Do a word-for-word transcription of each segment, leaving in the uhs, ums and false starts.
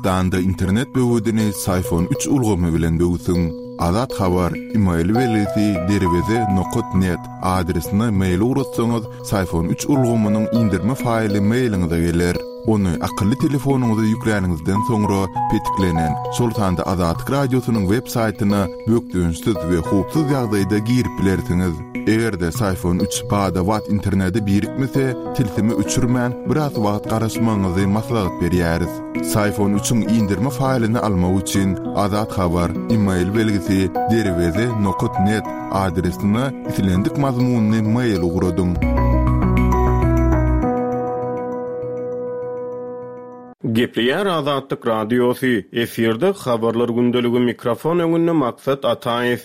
Türkmenistanda internet böwedini Syfon üç ulgamy bilen böwsüň. Azat Habar, e-mail belgisi derweze nokat net adresine mail ugratsaňyz, Syfon üç ulgamynyň indirme faýly mailiňize geler. Ony akylly telefonyňyza ýükläniňizden soňra petiklenen, şol sanda Azatlyk Radiosynyň web saýtyna bökdençsiz we howpsuz ýagdaýda girip bilersiňiz. Eger-de Syfon üç bada-bat internete birikmese, tilsimi öçürmän biraz wagt garaşmagyňyzy maslahat berýäris. Syfon üçiň indirme faýlyny almak üçin Azat Habar, e-mail belgisi derweze nokat net adresine islendik mazmunyny mail ugradyň. Gepleýär Azatlyk Radiosy, efirde habarlar gündeligi mikrofon öňünde Maksat Ataýew.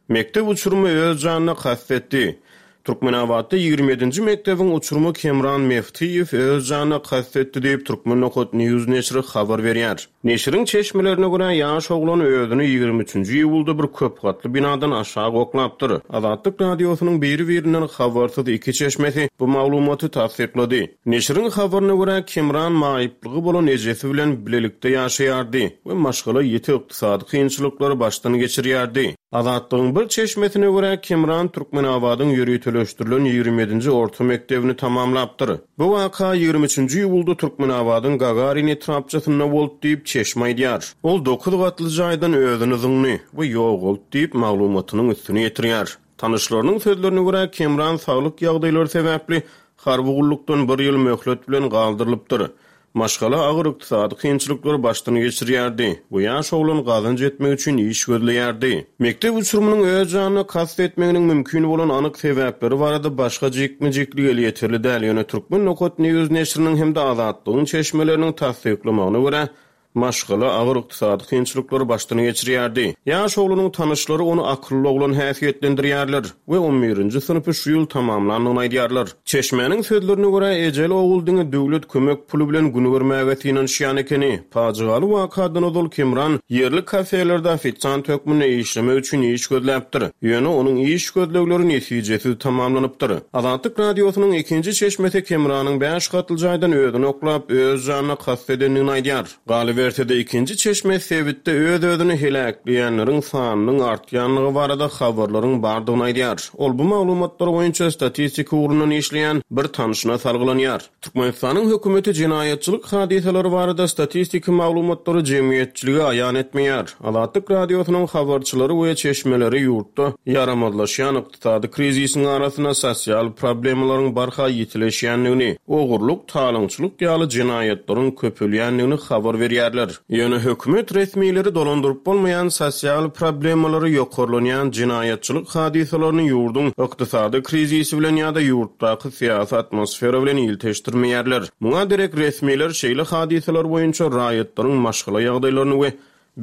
Mekdep uçurumy öz janyna kast etdi. Türkmenabatda ýigrimi ýedinji mekdebiň uçurumy Kemran Meftiýew öz janyna kast etdi diýip, Turkmen nokat News neşiri habar berýär. Neşiriň çeşmelerine görä, ýaş oglan özüni ýigrimi üçünji iýulda bir köp gatly binadan aşak oklapdyr. Azatlyk Radiosynyň biri-birinden habarsyz iki çeşmesi bu maglumaty tassyklady. Neşiriň habaryna görä, Kemran maýyplygy bolan ejesi bilen bilelikde ýaşaýardy we maşgala ýiti ykdysady kynçylyklary başdan geçirýärdi. Azatlygyň bir çeşmesine görä, Kemran Türkmenabadyň ýöriteleşdirilen ýigrimi ýedinji orta mekdebini tamamlapdyr. Bu waka ýigrimi üçünji iýulda Türkmenabadyň Gagarin etrapçasynda boldy diýip, çeşme aýdýar. Ol dokuz gatly jaýdan özüni zyňdy we ýogaldy diýip, maglumatynyň üstüni ýetirýär. Tanyşlarynyň sözlerine görä, Kemran saglyk ýagdaýlary sebäpli harby gullukdan bir ýyl möhlet bilen galdyrylypdyr. Maşgala agyr ykdysady kynçylyklary başdan geçirýärdi we ýaş oglan gazanç etmek üçin iş gözleýärdi. Mekdep uçurymynyň öz janyna kast etmeginiň mümkin bolan anyk sebäpleri barada başga jikme-jiklik elýeterli däl, ýöne Turkmen nokat News neşiriniň hem-de Azatlygyň çeşmeleriniň tassyklamagyna görä, maşgala agyr ykdysady kynçylyklary başdan geçirýärdi. Ýaş oglanyň tanyşlary ony akylly oglan häsiýetlendirýärler we on birinji synpy şu ýyl tamamlandygyny aýdýarlar. Çeşmäniň sözlerine görä, ejeli ogul diňe döwlet kömek puly bilen gün görmäge synanyşýan ekeni. Pajygaly wakadan ozal Kemran ýerli kafelerde ofisiant hökmünde işlemek üçin iş gözläpdir. Ýöne onuň iş gözlegleri netijesiz tamamlanypdyr. Azatlyk Radiosynyň ikinji çeşmesi Kemranyň bäş gatly jaýdan özüni oklap, öz janyna kast edendigini aýdýar. Galyberse-de ikinji çeşme sebitde öz-özüni heläkleýänleriň sanynyň artýanlygy barada habarlaryň bardygyny aýdýar. Ol bu maglumatlar boýunça statistika ugrundan işleýän bir tanşyna salgylanýar. Türkmenistanyň hökümeti jenaýatçylyk hadysalary barada statistiki maglumatlary jemgyýetçilige aýan etmeýär. Azatlyk Radiosynyň habarçylary we çeşmeleri ýurtda ýaramazlaşýan ykdysady krizisiň arasynda sosial problemalaryň barha ýitileşýändigini, ogurlyk, talaňçylyk ýaly jenaýatlaryň köpelýändigini habar berýärler. Ýöne hökümet resmileri dolandyryp bolmaýan sosial problemalary ýokarlanýan jenaýatçylyk hadysalaryny ýurduň ykdysady krizisi bilen ýa-da ýurtdaky syýasy atmosfera bilen ilteşdirmeýärler. Muňa derek resmiler şeýle hadysalar boýunça raýatlaryň maşgala ýagdaýlaryny we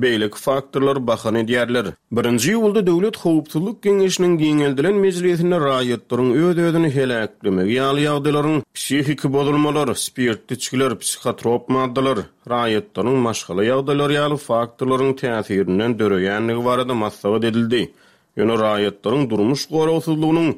beýleki faktorlary bahana edýärler. Birinji iýulda Döwlet Howpsuzlyk Geňeşiniň giňeldilen mejlisinde raýatlaryň öz-özüni heläklemegi ýaly ýagdaýlaryň psihiki bozulmalar, spirtli içgiler, psixotrop maddalar, raýatlaryň maşgala ýagdaýlary ýaly faktorlaryň täsirinden döreýändigi barada maslahat edildi. Ýöne raýatlaryň durmuş goragsyzlygynyň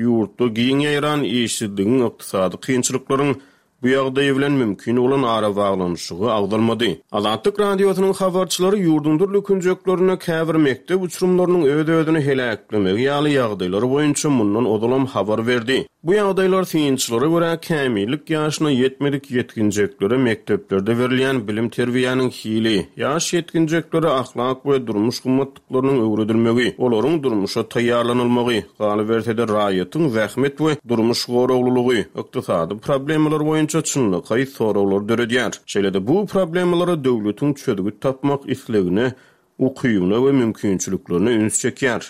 ýurtda giň ýaýran işsizligiň, ykdysady kynçylyklaryň bu ýagdaýy bilen mümkin bolan arabaglanyşygy agzalmady. Azatlyk Radiosynyň habarçylary ýurduň dürli künjeklerinde käbir mekdep uçurymlarynyň öz-özüni heläklemegi ýaly ýagdaýlary boýunça mundan ozalam habar berdi. Bu ýagdaýlar synçylara görä kämillik ýaşyna ýetmedik ýetginjeklere mekdeplerde berilýän bilim terbiýäniň hili, ýaş ýetginjeklere ahlak we durmuş gymmatlyklarynyň öwredilmegi, olaryň durmuşa taýýarlanylmagy, galyberse-de raýatyň zähmet we durmuş goraglylygy, ykdysady problemalar boýunça çynlakaý soraglar döredýär. Şeýle-de bu problemalara döwletiň çözgüt tapmak islegine, ukybyna we mümkinçiliklerine üns çekýär.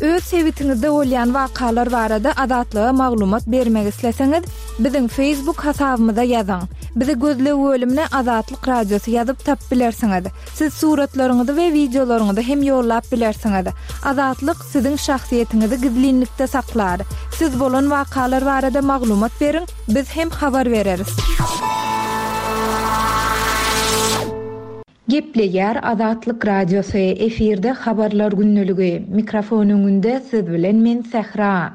Öz sebitiňizde bolýan wakalar barada Azatlyga maglumat bermek isleseňiz, biziň Facebook hasabymyza ýazyň. Bizi gözleg bölümine Azatlyk Radiosy ýazyp tap bilersiňiz. Siz suratlaryňyzy we wideolaryňyzy hem ýollap bilersiňiz. Azatlyk siziň şahsyýetiňizi gizlinlikde saklar. Siz bolan wakalar barada maglumat beriň, biz hem habar bereris. Gepleýär Azatlyk Radiosy, efirde habarlar gündeligi. Mikrofon öňünde siz bilen men Sähra.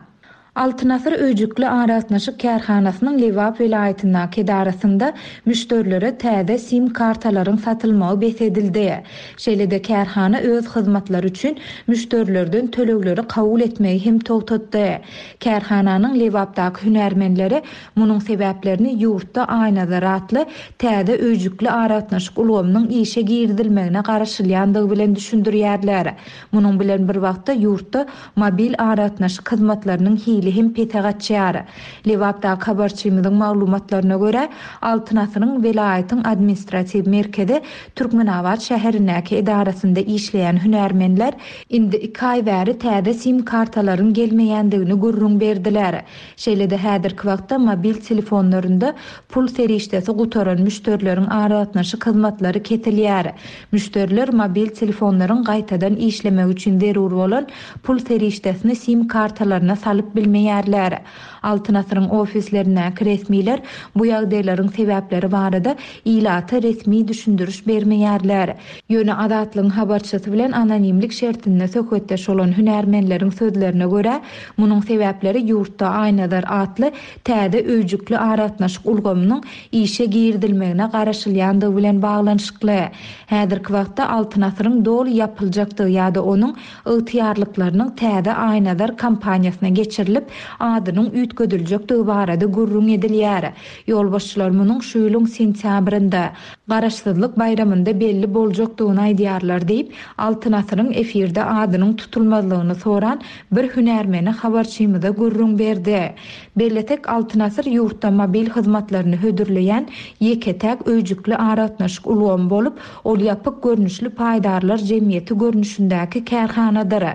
Altyn Asyr öýjükli aragatnaşyk kärhanasynyň Lebap welaýatyndaky edarasynda müşderilere täze sim kartalaryň satylmagy bes edildi. Şeýle-de kärhana öz hyzmatlary üçin müşderilerden tölegleri kabul etmegi hem togtatdy. Kärhananyň Lebapdaky hünärmenleri munuň sebäplerini ýurtda Aýnazar atly täze öýjükli aragatnaşyk ulgamynyň işe girizilmegine garaşylýandygy bilen düşündirýärler. Munuň bilen bir wagtda ýurtda mobil aragatnaşyk hyzmatlarynyň hili hem pese gaçýar. Lebapdaky habarçymyzyň maglumatlaryna görä, Altyn Asyryň welaýatyň administratiw merkezi Türkmenabat şäherindäki edarasynda işleýän hünärmenler indi iki aý bäri täze sim kartalaryň gelmeýändigini gürrüň berdiler. Şeýle-de häzirki wagtda mobil telefonlarynda pul serişdesi gutaran müşderileriň aragatnaşyk hyzmatlary kesilýär. Müşderiler mobil telefonlaryň gaýtadan işlemegi üçin zerur bolan pul serişdesini sim kartalaryna salyp bilmeýärler. Altyn Asyryň ofislerindäki resmiler bu ýagdaýlaryň sebäpleri barada ilata resmi düşündiriş bermeýärler. Ýöne Azatlygyň habarçysy bilen anonimlik şertinde söhbetdeş bolan hünärmenleriň sözlerine görä, munuň sebäpleri ýurtda Aýnazar atly täze öýjükli aragatnaşyk ulgamynyň işe girizilmegine garaşylýandygy bilen baglanyşykly. Häzirki wagtda Altyn Asyryň doly ýapyljakdygy ýa-da onuň ygtyýarlyklarynyň täze Aýnazar kompaniýasyna geçirilip, adynyň üýtgediljekdigi barada gürrüň edilýär. Ýolbaşçylar munuň şu ýylyň sentýabrynda Garaşsyzlyk baýramynda belli boljakdygyny aýdýarlar diýip, Altyn Asyryň efirde adynyň tutulmazlygyny soran bir hünärmeni habarçymyza gürrüň berdi. Bellesek, Altyn Asyr ýurtda mobil hyzmatlaryny hödürleýän ýeke-täk öýjükli aragatnaşyk ulgamy bolup, ol ýapyk görnüşli paýdarlar jemgyýeti görnüşindäki kärhanadyr.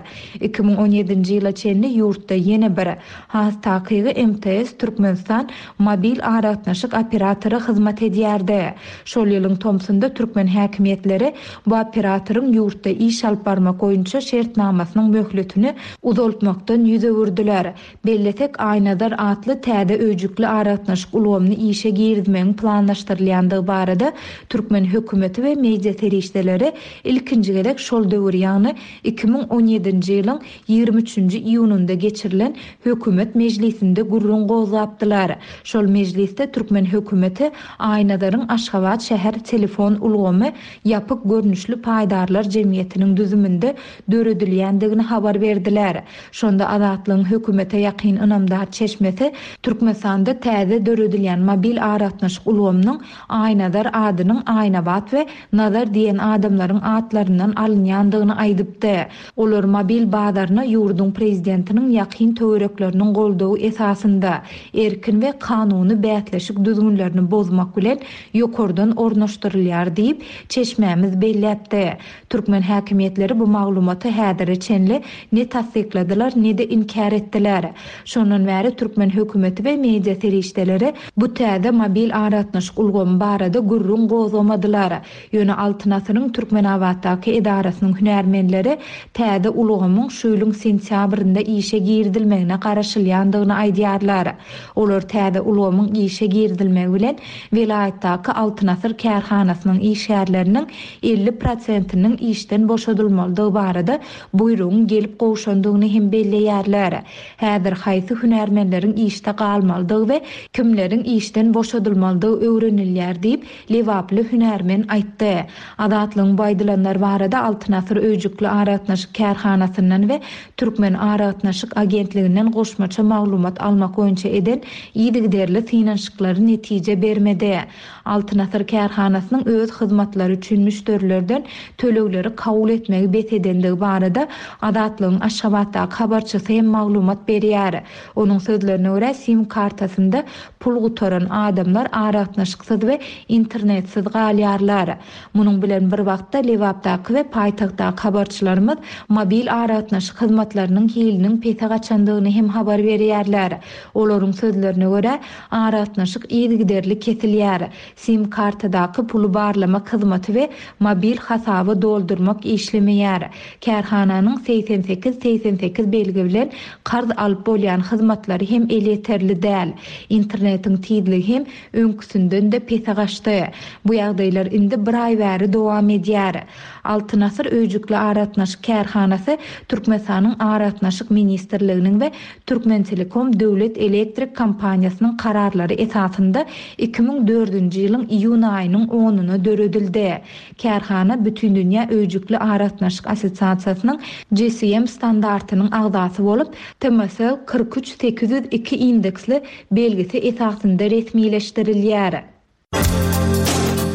Iki müň on ýedinji ýyla çenli ýurtda ýene bir, has takygy M T S Türkmenistan mobil aragatnaşyk operatory hyzmat edýärdi. Şol ýylyň tomsunda türkmen häkimiýetleri bu operatoryň ýurtda iş alyp barmak boýunça şertnamasynyň möhletini uzaltmakdan ýüz öwürdiler. Bellesek, Aýnazar atly täze öýjükli aragatnaşyk ulgamyny işe girizmegiň planlaşdyrylýandygy barada türkmen hökümeti we media serişdeleri ilkinji gezek şol döwür, ýagny iki müň on ýedinji ýylyň ýigrimi üçünji iýunynda geçirilen hökümet mejlisinde gürrüň gozgapdylar. Şol mejlisde türkmen hökümeti Aýnazaryň Aşgabat şäher telefon ulgamy ýapyk görnüşli paýdarlar jemgyýetiniň düzüminde döredilýändigini habar berdiler. Şonda Azatlygyň hökümete ýakyn ynamdar çeşmesi Türkmenistanda täze döredilýän mobil aragatnaşyk ulgamynyň Aýnazar adynyň Aýnabat we Nazar diýen adamlaryň atlaryndan alynýandygyny aýdypdy. Olar mobil bazaryna ýurduň prezidentiniň ýakyn töwerekleriniň goldawy esasynda erkin we kanuny bäsleşik düzgünlerini bozmak bilen ýokardan ornaşdyrylýar diýip, çeşmämiz belläpdi. Türkmen häkimiýetleri bu maglumaty häzire çenli ne tassykladylar, ne de inkär etdiler. Şondan bäri türkmen hökümeti we media serişdeleri bu täze mobil aragatnaşyk ulgamy barada gürrüň gozgamadylar. Ýöne Altyn Asyryň Türkmenabatdaky edarasynyň hünärmenleri täze ulgamyň şu ýylyň sentýabrynda işe girizilmegine garaşylýandygyny aýdýarlar. Olar täze ulgamyň işe girizilmegi bilen welaýatdaky Altyn Asyr kärhanasynyň işgärleriniň elli prosentiniň işden boşadylmalydygy barada buýrugyň gelip gowşandygyny hem belleýärler. Häzir haýsy hünärmenleriň işde galmalydygy we kimleriň işden boşadylmalydygy öwrenilýär diýip, Lebaply hünärmen aýtdy. Azatlygyň bu aýdylanlar barada Altyn Asyr öýjükli aragatnaşyk kärhanasyndan we Türkmen aragatnaşyk agentliginden goşmaça maglumat almak boýunça eden yzygiderli synanyşyklary netije bermedi. Altyn Asyr kärhanasynyň öz hyzmatlary üçin müşderilerden tölegleri kabul etmegi bes edendigi barada Azatlygyň Aşgabatdaky habarçysy hem maglumat berýär. Onuň sözlerine görä, sim kartasynda pul gutaran adamlar aragatnaşyksyz we internetsiz galýarlar. Munuň bilen bir wagtda Lebapdaky we paýtagtdaky habarçylarymyz mobil aragatnaşyk hyzmatlarynyň hiliniň pese gaçandygyny hem habar berýärler. Olaryň sözlerine görä, aragatnaşyk yzygiderli kesilýär. Sim kartadaky puly barlamak hyzmaty we mobil hasaby doldurmak işlemeýär. Kärhananyň segsen sekiz segsen sekiz belgi bilen karz alyp bolýan hyzmatlary hem elýeterli däl. Internetiň tizligi hem öňküsinden de pese gaçdy. Bu ýagdaýlar indi bir aý bäri dowam edýär. Altyn Asyr öýjükli aragatnaşyk kärhanasy Türkmenistanyň Aragatnaşyk ministrliginiň we Türkmentelekom döwlet elektrik kompaniýasynyň kararlary esasynda iki müň dördünji ýylyň iýun aýynyň onuna döredildi. Kärhana Bütindünýä öýjükli aragatnaşyk assosiasiýasynyň G C M standartynyň agzasy bolup, T M S L kyrk üç sekiz ýüz iki indeksli belgisi esasynda resmileşdirilýär.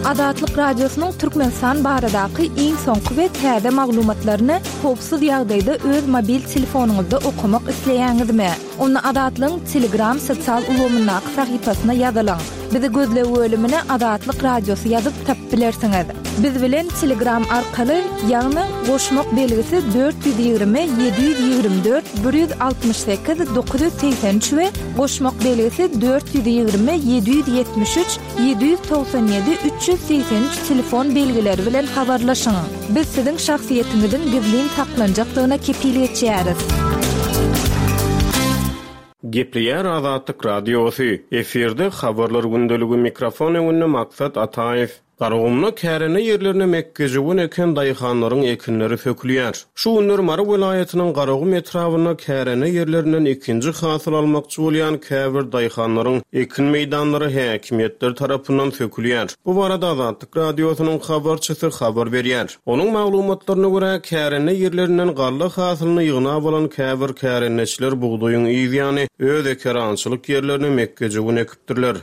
Azatlyk Radiosynyň Türkmenistan baradaky iň soňky we täze maglumatlaryny howpsuz ýagdaýda öz mobil telefonyňyzda okamak isleýäňizmi? Onda Azatlygyň Telegram sosial ulgamyndaky sahypasyna ýazylyň. Bizi gözleg bölümine Azatlyk Radiosy ýazyp tapyp bilersiňiz. Biz bilen Telegram arkaly, ýagny goşmak belgisi dört ýüz ýigrimi, ýedi ýüz ýigrimi dört, bir ýüz altmyş sekiz, dokuz ýüz segsen üç we goşmak belgisi dört ýüz ýigrimi, ýedi ýüz ýetmiş üç, ýedi ýüz togsan ýedi, üç ýüz segsen üç telefon belgileri bilen habarlaşyň. Biz siziň şahsyýetiňiziň gizlin saklanjakdygyna kepil geçýäris. Gepleýär Azatlyk Radiosy. Efirde habarlar gündeligi mikrofon öňünde Maksat Ataýew. Garagumda kärende ýerlerine mekgejöwen eken daýhanlaryň ekinleri sökülýär. Şu günler Mary welaýatynyň Garagum etrabynda kärende ýerlerinden ikinji hasyl almakçy bolýan käbir daýhanlaryň ekin meýdanlary häkimiýetler tarapyndan sökülýär. Bu barada Azatlyk Radiosynyň habarçysy habar berýär. Onuň maglumatlaryna görä kärende ýerlerinden galla hasylyny ýygnap alan käbir kärendeçiler bugdaýyň ýany öz ekerançylyk ýerlerine mekgejöwen ekipdirler.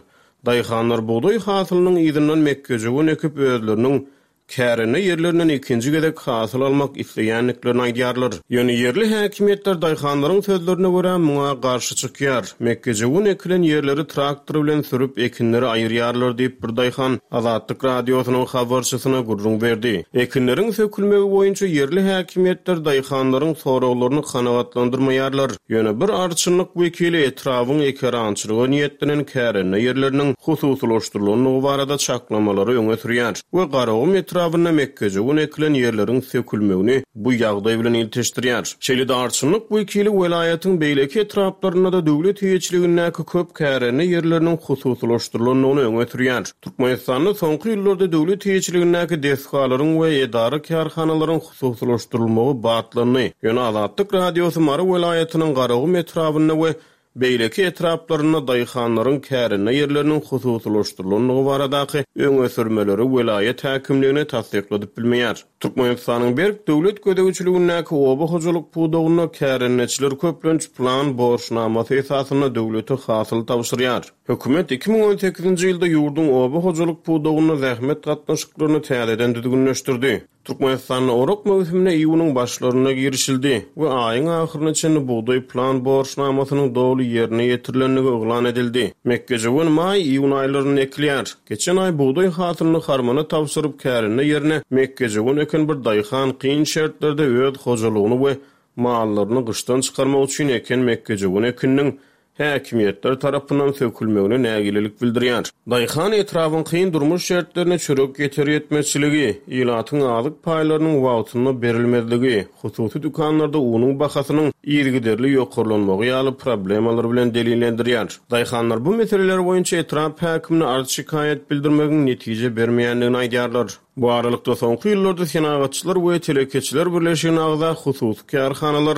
Daýhanlar bugdaý hasylynyň yzyndan mekgejöwen ekip özleriniň kärende ýerlerinden ikinji gezek hasyl almak isleýändiklerini aýdýarlar. Ýöne ýerli häkimiýetler daýhanlaryň sözlerine görä muňa garşy çykýar. Mekgejöwen ekilen ýerleri traktor bilen sürüp ekinleri aýyrýarlar diýip bir daýhan Azatlyk Radiosynyň habarçysyna gürrüň berdi. Ekinleriň sökülmegi boýunça ýerli häkimiýetler daýhanlaryň soraglaryny kanagatlandyrmaýarlar. Ýöne bir arçynlyk wekili etrabyň ekerançylyga niýetlenen kärende ýerleriniň hususylaşdyrylandygy barada çaklamalary öňe sürýär we Garagum etrabynda mekgejöwen ekilen ýerleriň sökülmegini bu ýagdaý bilen ilteşdirýär. Şeýle-de arçynlyk wekili welaýatyň beýleki etraplarynda da döwlet eýeçiligindäki köp kärende ýerleriniň hususylaşdyrylandygyny öňe sürýär. Türkmenistanda soňky ýyllarda döwlet eýeçiligindäki desgalaryň we edara kärhanalaryň hususylaşdyrylmagy batlandy. Ýöne Azatlyk Radiosy Mary welaýatynyň Garagum etrabynda we beýleki etraplarynda daýhanlaryň kärende ýerleriniň hususylaşdyrylandygy baradaky öňe sürmeleri welaýat häkimligine tassykladyp bilmeýär. Türkmenistanyň berk döwlet gözegçiligindäki oba hojalyk pudagynda kärendeçiler köplenç plan borçnamasy esasynda döwlete hasyl tabşyrýar. Hökümet iki müň on sekizinji ýylda ýurduň oba hojalyk pudagynda zähmet gatnaşyklaryny täzeden düzgünleşdirdi. Türkmenistanda orak möwsümine iýunyň başlarynda girişildi we aýyň ahyryna çenli bugdaý plan borçnamasynyň doly ýerine ýetirilendigi yglan edildi. Mekgejöwen maý iýun aýlarynda ekilýär. Geçen aý bugdaý hasylyny harmana tabşyryp kärende ýerine mekgejöwen eken bir daýhan kyn şertlerde öz hojalygyny we mallaryny gyşdan çykarmak üçin eken mekgejöwen ekininiň häkimiýetler tarapyndan sökülmegine nägilelik bildirýär. Daýhan etrabyň kyn durmuş şertlerine çörek ýeter ýetmezçiligi, ilatyň azyk paýlarynyň wagtynda berilmezligi, hususy dükanlarda unuň bahasynyň yzygiderli ýokarlanmagy ýaly problemalar bilen delillendirýär. Daýhanlar bu meseleler boýunça etrap häkimine arz şikaýat bildirmegiň netije bermeýändigini aýdýarlar. Bu aralykda soňky ýyllarda senagatçylar we telekeçiler birleşigine agza hususy kärhanalar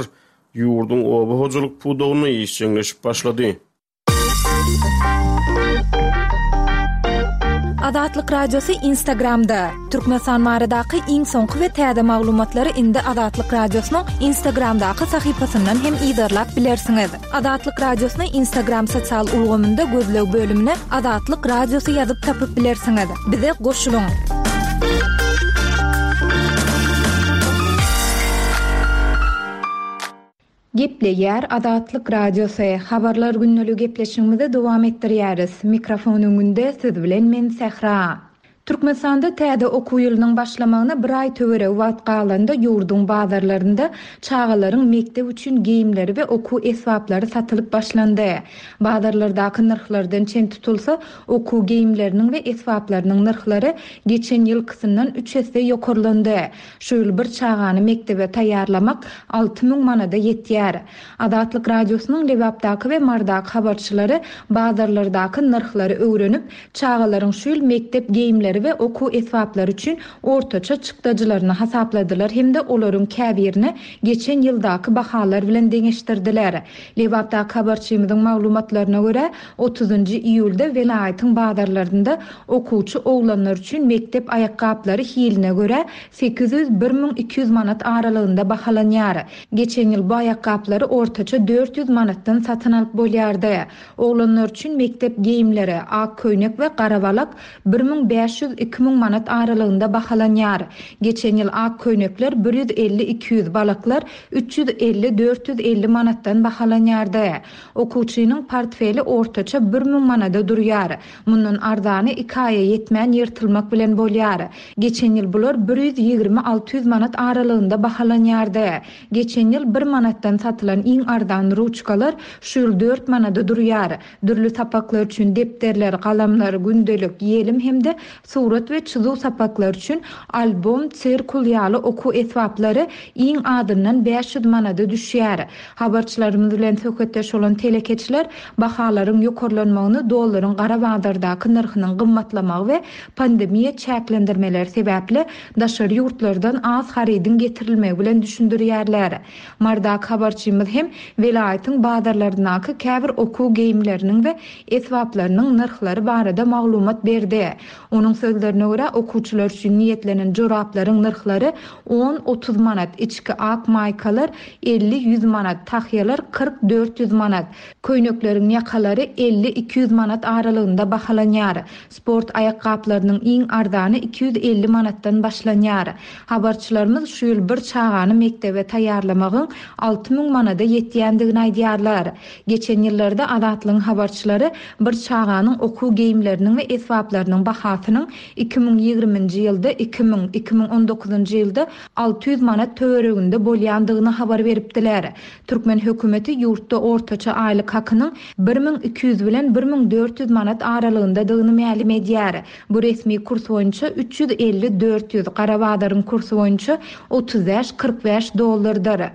ýurduň oba hojalyk pudagyna işjeňleşip başlady. Azatlyk Radiosy Instagramda. Türkmenistan baradaky iň soňky we täze maglumatlary indi Azatlyk Radiosynyň Instagramdaky sahypasyndan hem yzarlap bilersiňiz. Azatlyk Radiosyny Instagram sosial ulgamynda gözleg bölümine Azatlyk Radiosy ýazyp tapyp bilersiňiz. Bize goşulyň. Gepleýär Azatlyk Radiosy. Habarlar günlügi gepleşigimizi dowam etdirýäris. Mikrofon öňünde siz bilen men Sähra. Türkmenistanda täze okuw ýylynyň başlamagyna bir aý töweregi wagt galanda ýurduň bazarlarynda çagalaryň mekdep üçin geýimleri we okuw esbaplary satylyp başlandy. Bazarlardaky nyrhlardan çen tutulsa, okuw geýimleriniň we esbaplarynyň nyrhlary geçen ýylkysyndan üç esse ýokarlandy. Şu ýyl bir çagany mekdebe taýýarlamak alty müň manada ýetýär. Azatlyk Radiosynyň Lebapdaky we Mardaky habarçylary bazarlardaky nyrhlary öwrenip, çagalaryň şu ýyl mekdep geýimleri geýimleri we okuw esbaplary üçin ortaça çykdajylaryny hasapladylar hem-de olaryň käbirini geçen ýyldaky bahalar bilen deňeşdirdiler. Lebapdaky habarçymyzyň maglumatlaryna görä, otuzynjy iýulda welaýatyň bazarlarynda okuwçy oglanlar üçin mekdep aýakgaplary hiline görä sekiz ýüz, bir müň iki ýüz manat aralygynda bahalanýar. Geçen ýyl bu aýakgaplary ortaça dört ýüz manatdan satyn alyp bolýardy. Oglanlar üçin mekdep geýimleri, ak köýnek we gara balak bir müň bäş ýüz, iki müň manat aralygynda bahalanýar. Geçen ýyl ak köýnekler bir ýüz elli, iki ýüz, balaklar üç ýüz elli, dört ýüz elli manatdan bahalanýardy. Okuwçynyň portfeli ortaça bir müň manada durýar. Mundan arzany iki aýa ýetmän ýyrtylmak bilen bolýar. Geçen ýyl bular bir ýüz ýigrimi, alty ýüz manat aralygynda bahalanýardy. Geçen ýyl bir manatdan satylan iň arzan ruçkalar şu ýyl dört manada durýar. Dürli sapaklar üçin depderler, galamlar, gündelik, ýelim hem-de surat we çyzuw sapaklar üçin albom, sirkul ýaly okuw esbaplary iň azyndan bäş ýüz manada düşýär. Habarçylarymyz bilen söhbetdeş bolan telekeçiler bahalaryň ýokarlanmagyny dollaryň gara bazardaky nyrhynyň gymmatlamagy we pandemiýa çäklendirmeleri sebäpli daşary ýurtlardan az harydyň getirilmegi bilen düşündirýärler. Mardaky habarçymyz hem welaýatyň bazarlaryndaky käbir okuw geýimleriniň we esbaplarynyň nyrhlary barada maglumat berdi. Onuň sözlerine görä okuwçylar üçin niýetlenen joraplaryň nyrhlary on otuz manat, içki ak maýkalar elli ýüz manat, tahýalar kyrk dört ýüz manat, köýnekleriň ýakalary elli iki ýüz manat aralygynda bahalanýar. Sport aýakgaplarynyň iň arzany iki ýüz elli manatdan başlanýar. Habarçylarymyz şu ýyl bir çagany mekdebe taýýarlamagyň alty müň manada ýetýändigini aýdýarlar. Geçen ýyllarda Azatlygyň habarçylary bir çaganyň okuw geýimleriniň we esbaplarynyň bahasynyň iki müň ýigriminji ýylda iki müň, iki müň on dokuzynjy ýylda alty ýüz manat töwereginde bolýandygyny habar beripdiler. Türkmen hökümeti ýurtda ortaça aýlyk hakynyň bir müň iki ýüz bilen bir müň dört ýüz manat aralygyndadygyny mälim edýär. Bu resmi kurs boýunça üç ýüz elli dört ýüz, gara bazaryň kursy boýunça otuz bäş kyrk bäş dollardyr.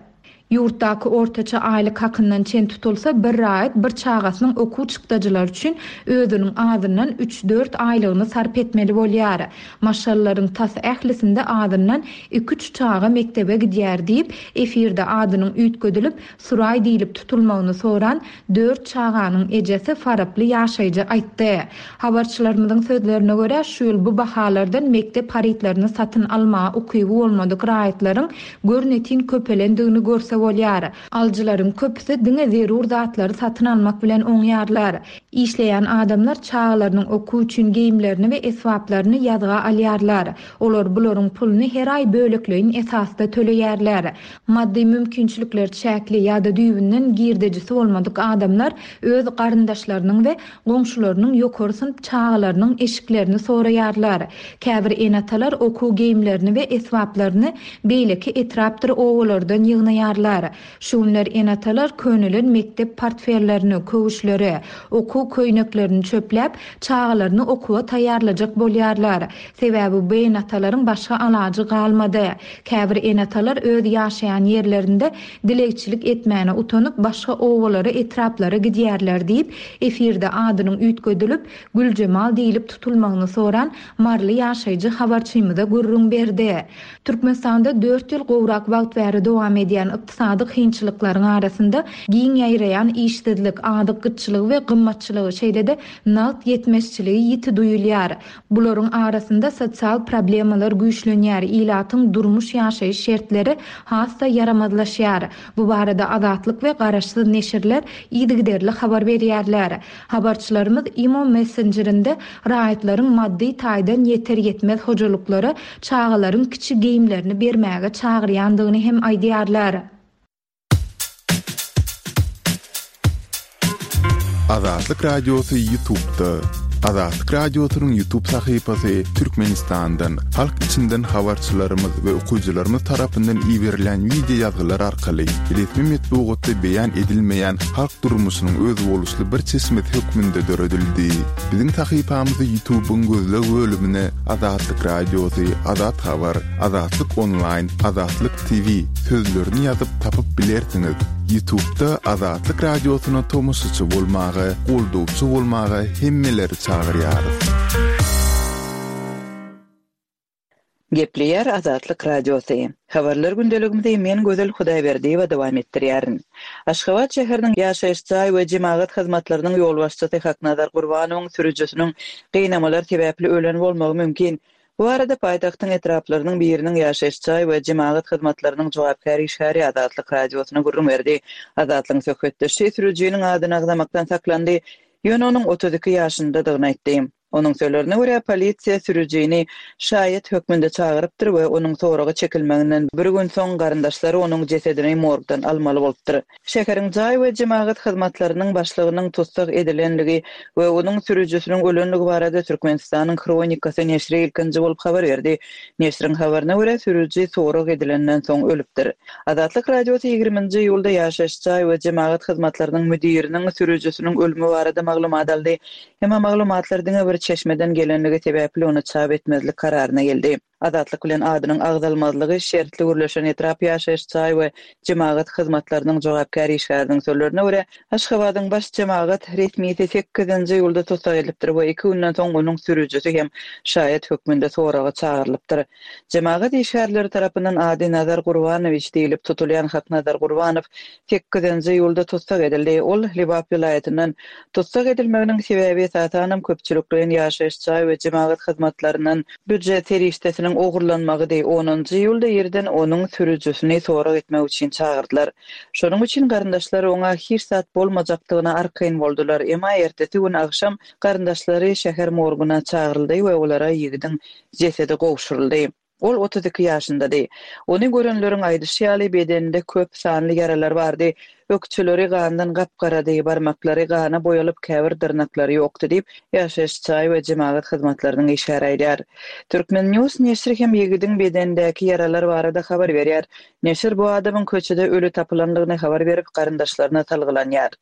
Ýurtdaky ortaça aýlyk hakyndan çen tutulsa, bir raýat bir çagasynyň okuw çykdajylary üçin özüniň azyndan üç dört aýlygyny sarp etmeli bolýar. Maşgalaryň tas ählisinde azyndan iki üç çaga mekdebe gidýär diýip, efirde adynyň üýtgedilip, Suraý diýilip tutulmagyny soran dört çaganyň ejesi Faraply ýaşaýjy aýtdy. Habarçylarymyzyň sözlerine görä, şu ýyl bu bahalardan mekdep harytlaryny satyn almaga ukyby bolmadyk raýatlaryň görnetin köpelendigini görse bolýar. Alyjylaryň köpüsi diňe zerur zatlary satyn almak bilen oňýarlar. Işleýän adamlar çagalarynyň okuw üçin geýimlerini we esbaplaryny ýazga alýarlar. Olar bularyň puluny her aý bölekleýin esasda töleýärler. Maddy mümkinçilikler çäkli ýa-da düýbünden girdejisi bolmadyk adamlar öz garyndaşlarynyň we goňşularynyň ýokary synp çagalarynyň eşiklerini soraýarlar. Käbir ene-atalar okuw geýimlerini we esbaplaryny beýleki etrapdyr obalardan ýygnaýarlar. Şu günler ene-atalar könelen mekdep portfellerini, köwüşleri, okuw köýneklerini çöpläp, çagalaryny okuwa taýýarlajak bolýarlar. Sebäbi bu ene-atalaryň başga alajy galmady. Käbir ene-atalar öz ýaşaýan ýerlerinde dilegçilik etmäne utanyp, başga obalara, etraplara gidýärler diýip, efirde adynyň üýtgedilip, Güljemal diýilip tutulmagyny soran Marly ýaşaýjy habarçymyza gürrüň berdi. Türkmenistanda dört ýyl gowrak wagt bäri dowam edýän ykdysady kynçylyklaryň arasynda giň ýaýraýan işsizlik, azyk gytçylygy we gymmatçylygy, şeýle-de nagt ýetmezçiligi ýiti duýulýar. Bularyň arasynda sosial problemalar güýçlenýär, ilatyň durmuş ýaşaýyş şertleri has-da ýaramazlaşýar. Bu barada Azatlyk we Garaşsyz neşirler yzygiderli habar berýärler. Habarçylarymyz Imo Messengerinde raýatlaryň maddy taýdan ýeter ýetmez hojalyklara çagalaryň kiçi geýimlerini bermäge çagyrýandygyny hem aýdýarlar. Azatlyk Radiosy YouTube'da. Azatlyk Radiosynyň YouTube sahypasy Türkmenistandan, halk içinden habarçylarymyz we okyjylarymyz tarapyndan iberilen video ýazgylar arkaly resmi metbugatda beýan edilmeýän halk durmuşynyň özboluşly bir çeşmesi hökmünde döredildi. Biziň sahypamyzy YouTube'yň gözleg bölümine Azatlyk Radiosy, Azat Habar, Azatlyk Online, Azatlyk T V sözlerini ýazyp tapyp bilersiňiz. YouTube'da Azatlyk Radiosyna tomaşaçy bolmaga, goldawçy bolmaga hemmeleri çagyrýarys. Gepleýär Azatlyk Radiosy. Habarlar gündeligimizi men Gözel Hudaýberdiýewa dowam etdirýärin. Aşgabat şäheriniň ýaşaýyş jaý we jemagat hyzmatlarynyň ýolbaşçysy Haknazar Gurbanowyň sürüjisiniň gynamalar sebäpli ölen bolmagy mümkin. Bu barada paýtagtyň etraplarynyň biriniň ýaşaýyş jaý we jemagat hyzmatlarynyň jogapkär işgäri Azatlyk Radiosyna gürrüň berdi. Azatlygyň söhbetdeşi sürüjiniň adyny agzamakdan saklandy, ýöne onuň otuz iki ýaşyndadygyny aýtdy. Onuň sözlerine görä, polisiýa sürüjini şaýat hökmünde çagyrypdyr we onuň soraga çekilmeginden bir gün soň garyndaşlary onuň jesedini morgdan almaly bolupdyr. Şäheriň jaý we jemagat hyzmatlarynyň başlygynyň tussag edilenligi we onuň sürüjisiniň ölenligi barada Türkmenistanyň Hronikasy neşiri ilkinji bolup habar berdi. Neşiriň habaryna görä, sürüji sorag edilenden soň ölüpdir. Azatlyk Radiosy ýigriminji iýulda ýaşaýyş jaý we jemagat hyzmatlarynyň müdiriniň sürüjisiniň ölümi barada maglumat aldy. Emma maglumatlar diňe bir çeşmeden gelenligi sebäpli ony çap etmezlik kararyna geldi. Azatlyk bilen adynyň agzalmazlygy şertli gürleşen etrap ýaşaýyş jaý we jemagat hyzmatlarynyň jogapkär işgäriniň sözlerine görä, Aşgabadyň baş jemagat resmisi sekizinji iýulda tussag edilipdir we iki günden soň onuň sürüjisi hem şaýat hökmünde soraga çagyrylypdyr. Jemagat işgärleri tarapyndan ady Nazar Gurbanowiç diýlip tutulýan Haknazar Gurbanow sekizinji iýulda tussag edildi. Ol Lebap welaýatyndan tussag edilmeginiň sebäbi esasanam köpçülikleýin ýaşaýyş jaý we jemagat hyzmatlaryndan býujet serişdesiniň ogurlanmagydy. Onunjy iýulda ýerden onuň sürüjisini sorag etmek üçin çagyrdylar. Şonuň üçin garyndaşlary oňa hiç zat bolmajakdygyna arkaýyn boldular. Emma ertesi gün agşam garyndaşlary şäher morguna çagyryldy we olara ýigidiň jesedi gowşuryldy. Ol otuz iki ýaşyndady. Ony görenleriň aýdyşy ýaly bedeninde köp sanly ýaralar bardy. Ökçeleri gandan gapgarady, barmaklary gana boýalyp käbir dyrnaklary ýokdy diýip, ýaşaýyş jaý we jemagat hyzmatlarynyň işgäri aýdýar. Türkmen News neşiri hem ýigidiň bedenindäki ýaralar barada habar berýär. Neşir bu adamyň köçede ölü tapylandygyny habar berip, garyndaşlaryna salgylanýar.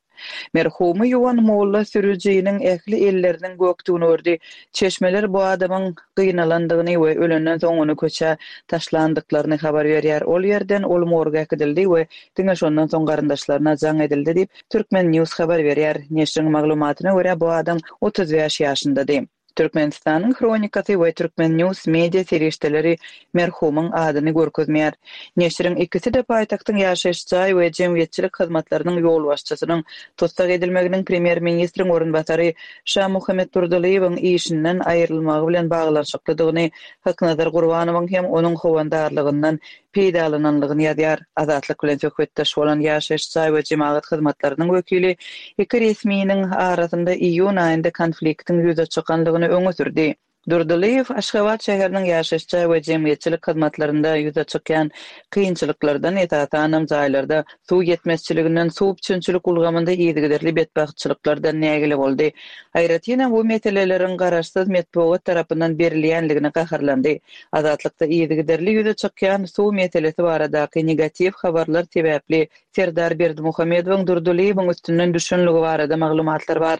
Merhumy ýuwan molla sürüjiniň ähli elleriniň gökdügini gördi. Çeşmeler bu adamyň gynalandygyny we ölenden soň ony köçä taşlandyklaryny habar berýär. Ol ýerden ol morga äkidildi we diňe şondan soň garyndaşlaryna jaň edildi diýip, Türkmen News habar berýär. Neşiriň maglumatyna görä bu adam otuz bäş ýaşyndady. Türkmenistanyň Hronikasy we Türkmen News media serişdeleri merhumyň adyny görkezmeýär. Neşiriň ikisi-de paýtagtyň ýaşaýyş jaý we jemgyýetçilik hyzmatlarynyň ýolbaşçysynyň tussag edilmeginiň premýer-ministriň orunbasary Şamuhammet Durdylyýewiň işinden aýrylmagy bilen baglanyşyklydygyny, Haknazar Gurbanowyň hem onuň howandarlygyndan peýdalananlygyny ýazýar. Azatlyk bilen söhbetdeş bolan ýaşaýyş jaý we jemagat hyzmatlarynyň wekili iki resminiň arasynda iýun aýynda konfliktiň ýüze çykanlygyny öňe sürdi. Durdylyýew Aşgabat şäheriniň ýaşaýyş jaý we jemgyýetçilik hyzmatlarynda ýüze çykýan kynçylyklardan, esasanam jaýlarda suw ýetmezçiliginden, suw üpjünçilik ulgamynda yzygiderli betbagtçylyklardan nägile boldy. Aýratynam bu meseleleriň garaşsyz metbugat tarapyndan berilýänligine gaharlandy. Azatlykda yzygiderli ýüze çykýan suw meselesi baradaky negatiw habarlar sebäpli Serdar Berdimuhamedowyň Durdylyýewiň üstünden düşenligi barada maglumatlar bar.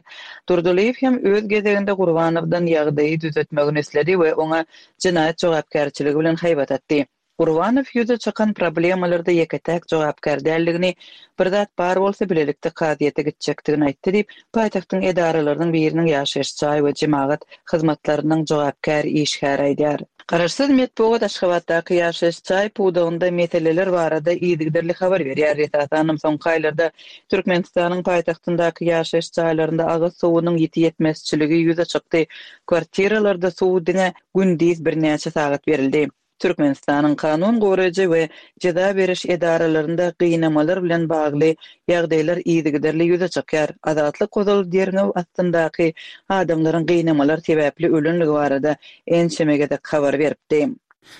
Durdylyýew hem öz gezeginde Gurbanowdan ýagdaýy düzetmegini isledi we oňa jenaýat jogapkärçiligi bilen haýbat atdy. Gurbanow ýüze çykan problemalarda ýeke-täk jogapkär däldigini, bir zat bar bolsa bilelikde kazyýete gitjekdigini aýtdy diýip, paýtagtyň edaralarynyň biriniň ýaşaýyş jaý we jemagat hyzmatlarynyň jogapkär işgäri aýdýar. Garaşsyz metbugat Aşgabatdaky ýaşaýyş jaý pudagynda meseleler barada yzygiderli habar berýär. Esasanam soňky aýlarda Türkmenistanyň paýtagtyndaky ýaşaýyş jaýlarynda agyz suwunyň ýiti ýetmezçiligi ýüze çykdy. Kwartiralarda suw diňe gündiz birnäçe sagat berildi. Türkmenistanyň kanun goraýjy we jeza beriş edaralarynda gynamalar bilen bagly ýagdaýlar yzygiderli ýüze çykýar. Azatlyk ozal derňew astyndaky adamlaryň gynamalar sebäpli ölenligi barada ençeme gezek habar beripdi.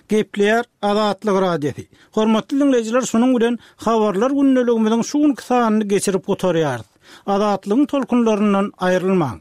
Gepleýär Azatlyk Radiosy. Hormatly dinleýjiler, şunuň bilen habarlar gündeligimiziň şu günki sanyny geçirip gutarýarys. Azatlygyň tolkunlaryndan aýrylmaň.